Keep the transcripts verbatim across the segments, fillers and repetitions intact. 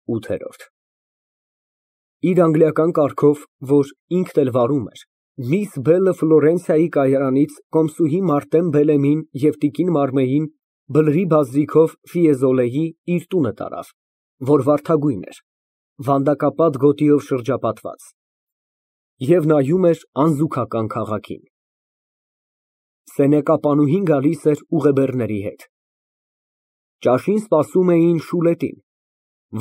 ՈՒԹԵՐՈՐԴ Իր անգլիական կառքով, որ ինքն էլ վարում էր, միս Բելը Ֆլորենցիայի կայարանից կոմսուհի Մարտեն Բելեմին և տիկին Մարմեին բլրի բազրիքով Ֆիեզոլեի իր տունը տարավ, որ վարդագույն էր, վանդակապատ գոտիով շրջապատված, և նայում էր անզուգական քաղաքին։ Սենյակապանուհին գալիս էր ուղեբեռների հետ։ Ճաշին սպասում էին Շուլետին,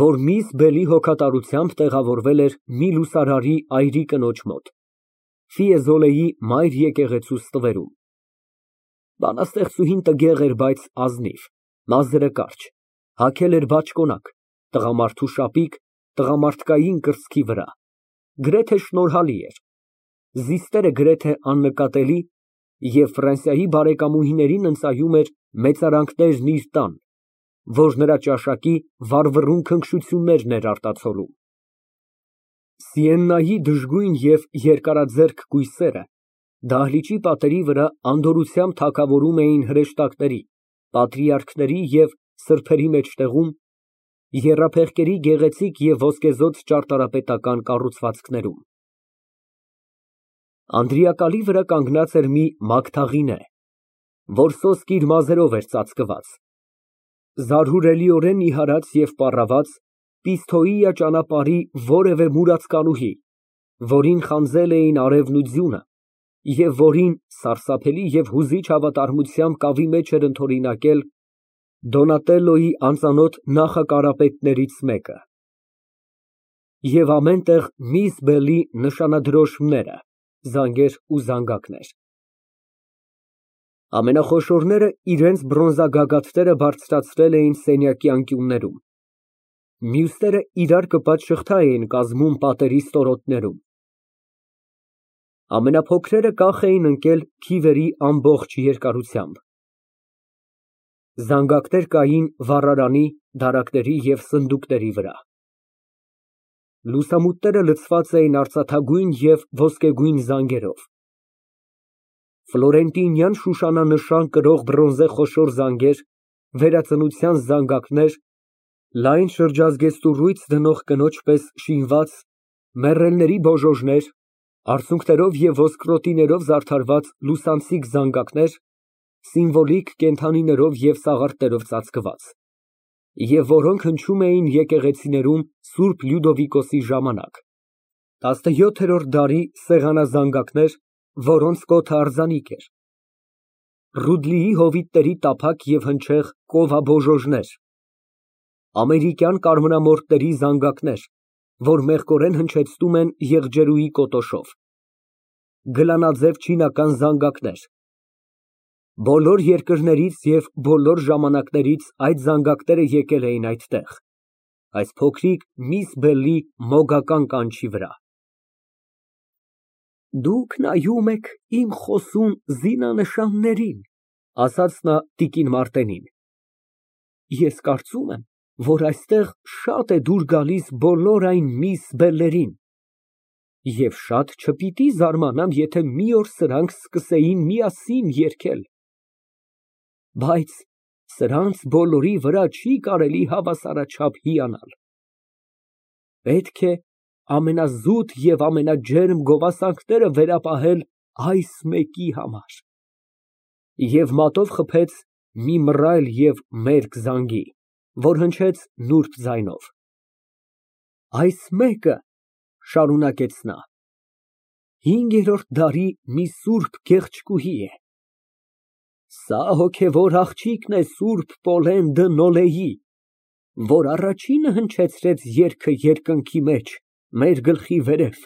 որ միս Բելի հոգատարությամբ տեղավորվել էր մի լուսարարի այրի կնոջ մոտ, Ֆիեզոլեի մայր եկեղեցու ստվերում։ Բանաստեղծուհին տգեղ էր, բայց ազնիվ, մազերը կարճ, հագել էր բաճկոնակ, տղամարդու շապիկ տղամարդկային կրծքի վրա, գրեթե շնորհալի էր, զիստերը գրեթե աննկատելի և Ֆրանսիայի բարեկամուհիներին ընծայում էր մեծարանքներն իր տան, որ նրա ճաշակի վառվռուն քնքշություններն էր արտացոլում։ Սիեննայի դժգույն և երկարաձեռք կույսերը դահլիճի պատերի վրա անդորրությամբ թագավորում էին հրեշտակների, պատրիարքների և սրբերի մեջտեղում, եռափեղկերի գեղեցիկ և ոսկեզօծ ճարտարապետական կառուցվածքներում։ Անդրիակալի վրա կանգնած էր մի մագդաղինե, որ սոսկ իր մազերով էր ծածկված, զարհուրելիորեն նիհարած և պառաված Պիսթոիա ճանապարհի որևէ մուրացկանուհի, որին խանձել էին արևն ու ձյունը, և որին սարսափելի և հուզիչ հավատարմությամբ կավի մեջ էր ընդօրինակել Դոնատելլոյի անծանոթ նախակարապետներից մեկը։ Եվ ամեն տեղ միս Բելի նշանադրոշմները, զանգեր ու զանգակներ։ Ամենախոշորները իրենց բրոնզագագաթները բարձրացրել էին սենյակի անկյուններում, մյուսները իրար կպած շղթա էին կազմում պատերի ստորոտներում, ամենափոքրերը կախ էին ընկել քիվերի ամբողջ երկարությամբ։ Զանգակներ կային վառարանի, դարակների և սնդուկների վրա։ Լուսամուտները լցված էին արծաթագույն և ոսկեգույն զանգերով, ֆլորենտինյան շուշանանշան կրող բրոնզե խոշոր զանգեր, վերածնության զանգակներ, լայն շրջազգեստուռույց դնող կնոջ պես շինված մեռելների բոժոժներ, արցունքներով և ոսկրոտիներով զարդարված լուսանցիկ զանգակներ, սիմվոլիկ կենդանիներով և սաղարթներով ծածկված, և որոնք հնչում էին եկեղեցիներում Սուրբ Լյուդովիկոսի ժամանակ, տասնյոթերորդ դարի սեղանազանգակներ, որոնց կոթը արձանիկ էր, Ռուդլիի հովիտների տափակ և հնչեղ կովաբոժոժներ, ամերիկյան կարմրամորթների զանգակներ, որ մեղկորեն հնչեցնում են եղջերուի կոտոշով, գլանաձև չինական զանգակներ։ Բոլոր երկրներից և բոլոր ժամանակներից այդ զանգակները եկել էին այդտեղ, այս փոքրիկ միս Բելի մոգական կանչի վրա։ Դուք նայում եք իմ խոսուն զինանշաններին, ասաց նա տիկին Մարտենին, ես կարծում եմ, որ այստեղ շատ է դուր գալիս բոլոր այն միս Բելլերին, և շատ չպիտի զարմանամ, եթե մի օր սրանք սկսեին միասին երգել, բայց սրանց բոլորի վրա չի կարելի հավասարաչափ հիանալ։ Պետք է ամենազուտ և ամենաջերմ գովասանքները վերապահել այս մեկի համար։ Եվ մատով խփեց մի մռայլ և մերկ զանգի, որ հնչեց նուրբ ձայնով։ Այս մեկը, շարունակեց նա, հինգերորդ դարի մի սուրբ գեղեցկուհի է, սա հոգևոր աղջիկն է սուրբ Պոլեն դը Նոլեի, որ առաջինը հնչեցրեց երգը երկնքի մեջ, մեր գլխի վերև,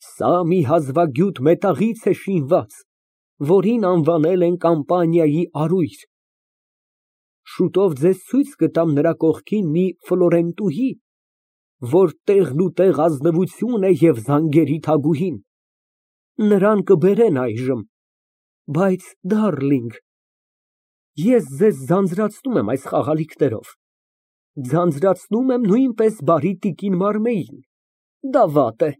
սա մի հազվագյուտ մետաղից է շինված, որին անվանել են Կամպանիայի արույր, շուտով ձեզ ցույց կտամ նրա կողքին մի ֆլորենտուհի, որ տեղնուտեղ ազնվություն է և զանգերի թագուհին, նրան կբերեն այժմ, բայց դարլինգ, ես ձեզ ձանձրացնում եմ այս խաղալիքներով, ձանձրացնում եմ նույնպես բարի տիկին Մարմեին, դա վատ է։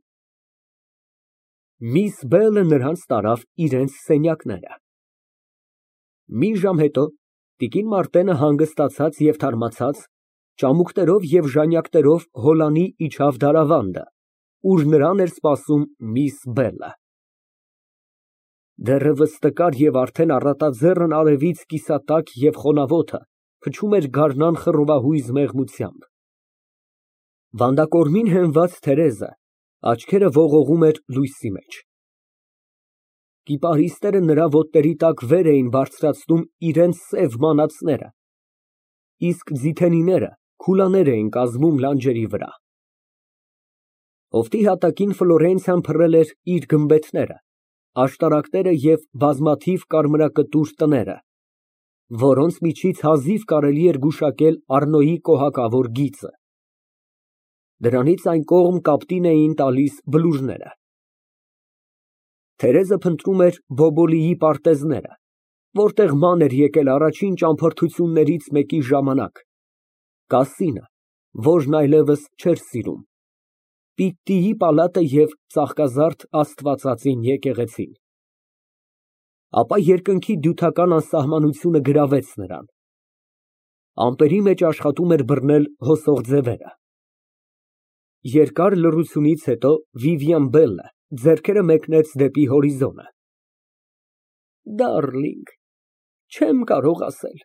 Միս Բելը նրանց տարավ իրենց սենյակները։ Մի ժամ հետո տիկին Մարտենը հանգստացած և թարմացած Ճամուկներով և ժանյակներով հոլանի իջավ դարավանդը, ուր նրան էր սպասում միս Բելլը։ Դեռևս տկար և արդեն առատաձեռն արևից կիսատակ և խոնավ օդը փչում էր գարնան խռովահույզ մեղմությամբ։ Վանդակորմին հենված Թերեզը աչքերը ողողում էր լույսի մեջ։ Կիպարիսները նրա ոտների տակ վեր էին բարձրացնում իրենց սև մանացները, իսկ ձիթենիները քուլաներ էին կազմում լանջերի վրա։ Հովտի հատակին Ֆլորենցիան փռել էր իր գմբեթները, աշտարակները և բազմաթիվ կարմրակտուր տները, որոնց միջից հազիվ կարելի էր գուշակել Առնոյի կոհակավոր գիծը։ Դրանից այն կողմ կապտին էին տալիս բլուրները։ Թերեզը փնտրում էր Բոբոլիի պարտեզները, որտեղ ման էր եկել առաջին ճամփորդություններից մեկի ժամանակ, կասինը, որն այլևս չէր սիրում, Պիտտիի պալատը և ծաղկազարդ Աստվածածին եկեղեցին։ Ապա երկնքի դյութական անսահմանությունը գրավեց նրան։ Ամպերի մեջ աշխատում էր բռնել հոսող ձևերը։ Երկար լռությունից հետո Վիվիան Բելլը ձեռքերը մեկնեց դեպի հորիզոնը։ Դարլինգ, չեմ կարող ասել,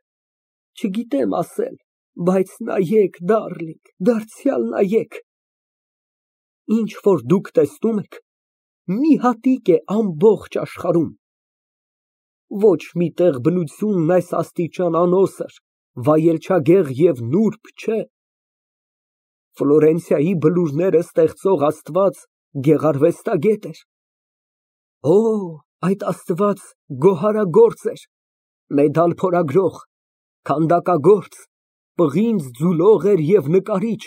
չգիտեմ ասել, բայց նայեք, դարլինգ, դարձյալ նայեք։ Ինչ որ դուք տեսնում եք, մի հատիկ է ամբողջ աշխարհում։ Ոչ մի տեղ բնությունն այս աստիճան անոսր, վայելչագեղ և նուրբ չէ։ Ֆլորենցիայի բլուրները ստեղծող Աստված գեղարվեստագետ էր։ Օ, այդ Աստված գոհարագործ էր, մեդալ փորագրող, քանդակագործ, պղինձ ձուլող էր և նկարիչ,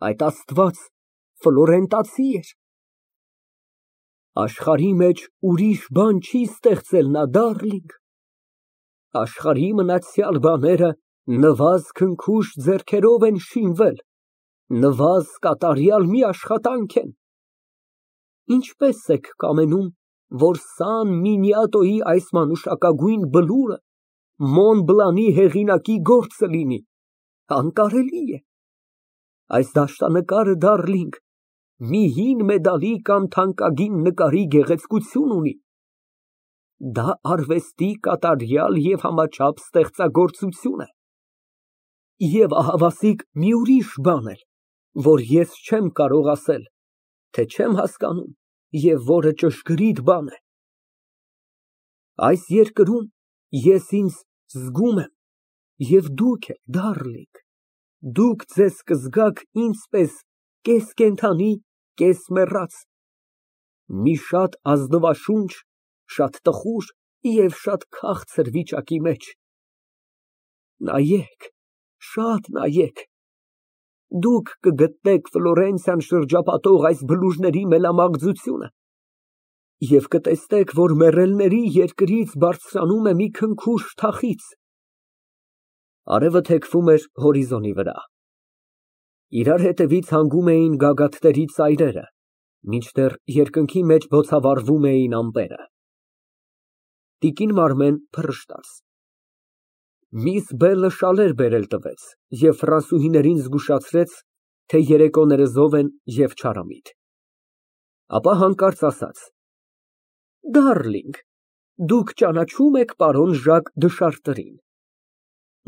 այդ Աստված ֆլորենտացի էր։ Աշխարհի մեջ ուրիշ բան չի ստեղծել նա, դարլինգ, աշխարհի մնացյալ բաները նվազ քնքուշ ձեռքերով են շինվել, նվազ կատարյալ մի աշխատանք են։ Ինչպե՞ս եք կամենում, որ Սան Մինիատոյի այս մանուշակագույն բլուրը Մոն Բլանի հեղինակի գործը լինի, անկարելի է։ Այս դաշտանկարը, դարլինգ, մի հին մեդալի կամ թանկագին նկարի գեղեցկություն ունի։ Դա արվեստի կատարյալ և համաչափ ստեղծագործություն է։ Եվ ահավասիկ մի ուրիշ բան էլ, որ ես չեմ կարող ասել, թե չեմ հասկանում և որը ճշգրիտ բան է։ Այս երկրում ես ինձ զգում եմ, և դուք էլ, դարլինգ, դուք ձեզ կզգաք ինձ պես կես֊կենդանի, կես֊մեռած, մի շատ ազնվաշունչ, շատ տխուր և շատ քաղցր վիճակի մեջ։ Նայեք, շատ նայեք, դուք կգտնեք Ֆլորենցիան շրջապատող այս բլուրների մելամաղձությունը և կտեսնեք, որ մեռելների երկրից բարձրանում է մի քնքուշ թախիծ։ Արևը թեքվում էր հորիզոնի վրա։ Իրար հետևից հանգում էին գագաթների ծայրերը, մինչդեռ երկնքի մեջ բոցավառվում էին ամպերը։ Տիկին Մարմեն փռշտաց։ Միս Բելլը շալեր բերել տվեց և ֆրանսուհիներին զգուշացրեց, թե երեկոները զով են և չարամիտ։ Ապա հանկարծ ասաց. Դարլինգ, դուք ճանաչո՞ւմ եք պարոն Ժակ դը Շարտերին։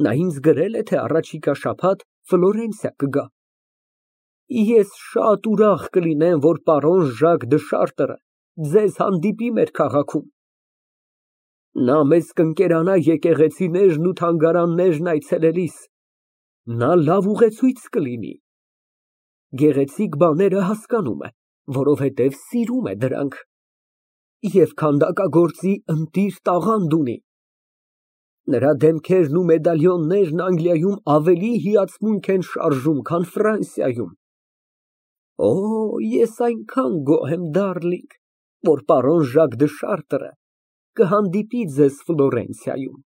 Նա ինձ գրել է, թե առաջիկա շաբաթ Ֆլորենցիա կգա։ Ես շատ ուրախ կլինեմ, որ պարոն Ժակ դը Շարտերը ձեզ հանդիպի մեր քաղաքում։ Նա մեզ կընկերանա եկեղեցիներն ու թանգարաններն այցելելիս, նա լավ ուղեցույց կլինի։ Գեղեցիկ բաները հասկանում է, որովհետև սիրում է դրանք, և քանդակագործի ընտիր տաղանդ ունի։ Նրա դեմքերն ու մեդալյոններն Անգլիայում ավելի հիացմունք են շարժում, քան Ֆրանսիայում։ Օ, ես այնքան գոհ եմ, դարլինգ, որ պարոն Ժակ դը Շարտերը կհանդիպի ձեզ Ֆլորենցիայում։